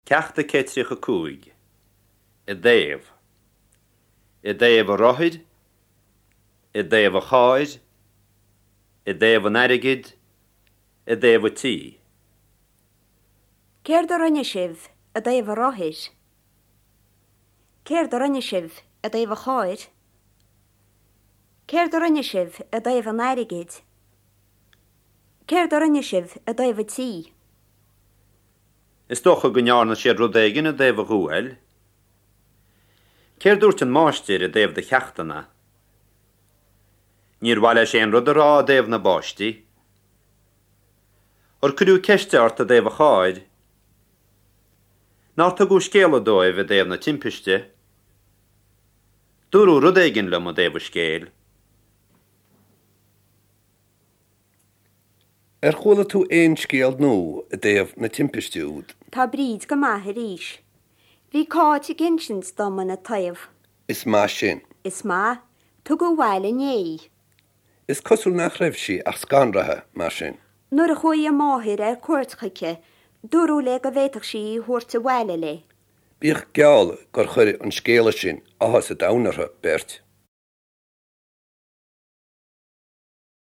Ceacht 135. I dtaobh. I dtaobh an rothair. I dtaobh an chairr. I dtaobh an airgid. I dtaobh an tí. Céard a rinne sibh i dtaobh an rothair? Céard a rinne sibh i dtaobh an chairr? Céard a rinne sibh i dtaobh an airgid? Céard a rinne sibh i dtaobh an tí? Is dócha go ndearna siad rud éigin i dtaobh an ghuail. Céard dúirt an máistir i dtaobh do cheachtanna? Níor mhaith leis aon rud a rá i dtaobh na báistí. Ar cuireadh ceist ort i dtaobh an chairr? Nár tugadh scéala dóibh i dtaobh na timpiste? Dúradh rud éigin liom i dtaobh an scéil. Ar chuala tú aon scéal nua i dtaobh na timpiste úd? Tá Bríd go maith arís. Bhí Cáit ag insint dom ina taobh. Is maith sin. Is maith. Tugadh abhaile inné í. Is cosúil nach raibh sí ach scanraithe, mar sin. Nuair a chuaigh a máthair ar cuairt chuici, dúradh léi go bhféadfadh sí í a thabhairt abhaile léi. Bíodh geall gur chuir an scéala sin áthas an domhain orthu beirt.